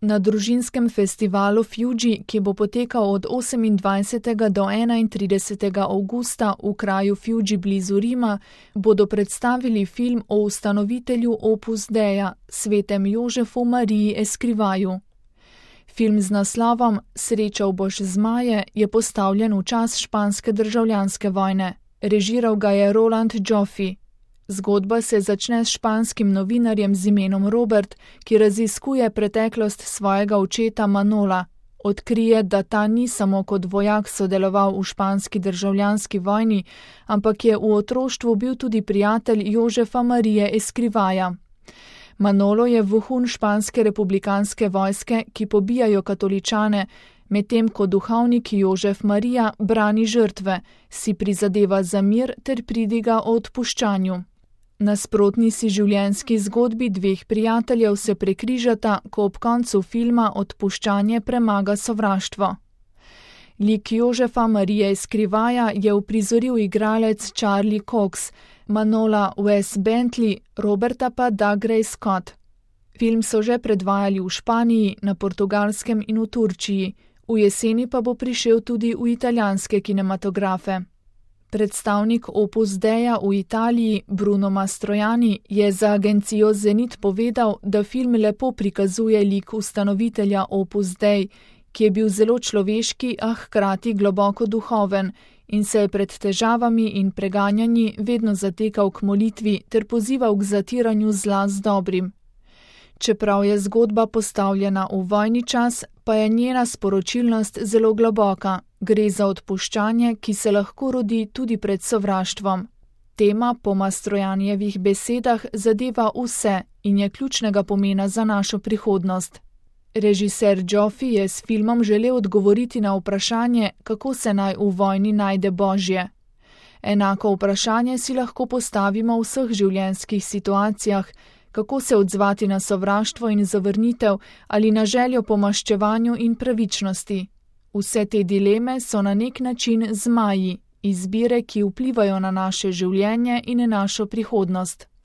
Na družinskem festivalu Fuji, ki bo potekal od 28. do 31. avgusta v kraju Fuji blizu Rima, bodo predstavili film o ustanovitelju Opus Deia, svetem Jožefu Mariji Eskrivaju. Film z naslovom Srečal boš zmaje je postavljen v čas španske državljanske vojne. Režiral ga je Roland Joffe. Zgodba se začne s španskim novinarjem z imenom Robert, ki raziskuje preteklost svojega očeta Manola. Odkrije, da ta ni samo kot vojak sodeloval v španski državljanski vojni, ampak je v otroštvu bil tudi prijatelj Jožefa Marije Escrivaja. Manolo je vohun španske republikanske vojske, ki pobijajo katoličane, medtem ko duhovnik Jožef Marija brani žrtve, si prizadeva za mir ter pridiga o odpuščanju. Nasprotni si življenjski zgodbi dveh prijateljev se prekrižata, ko ob koncu filma odpuščanje premaga sovraštvo. Lik Jožefa Marije Escrivaja je uprizoril igralec Charlie Cox, Manola Wes Bentley, Roberta pa Doug Ray Scott. Film so že predvajali v Španiji, na Portugalskem in v Turčiji, v jeseni pa bo prišel tudi v italijanske kinematografe. Predstavnik Opus Deia v Italiji, Bruno Mastrojani, je za agencijo Zenit povedal, da film lepo prikazuje lik ustanovitelja Opus Dei, ki je bil zelo človeški, a hkrati globoko duhoven in se je pred težavami in preganjanji vedno zatekal k molitvi ter pozival k zatiranju zla z dobrim. Čeprav je zgodba postavljena v vojni čas, pa je njena sporočilnost zelo globoka. Gre za odpuščanje, ki se lahko rodi tudi pred sovraštvom. Tema po Mastrojanijevih besedah zadeva vse in je ključnega pomena za našo prihodnost. Režiser Joffe je s filmom želel odgovoriti na vprašanje, kako se naj v vojni najde Božje. Enako vprašanje si lahko postavimo v vseh življenjskih situacijah, kako se odzvati na sovraštvo in zavrnitev ali na željo po maščevanju in pravičnosti. Vse te dileme so na nek način zmaji, izbire, ki vplivajo na naše življenje in našo prihodnost.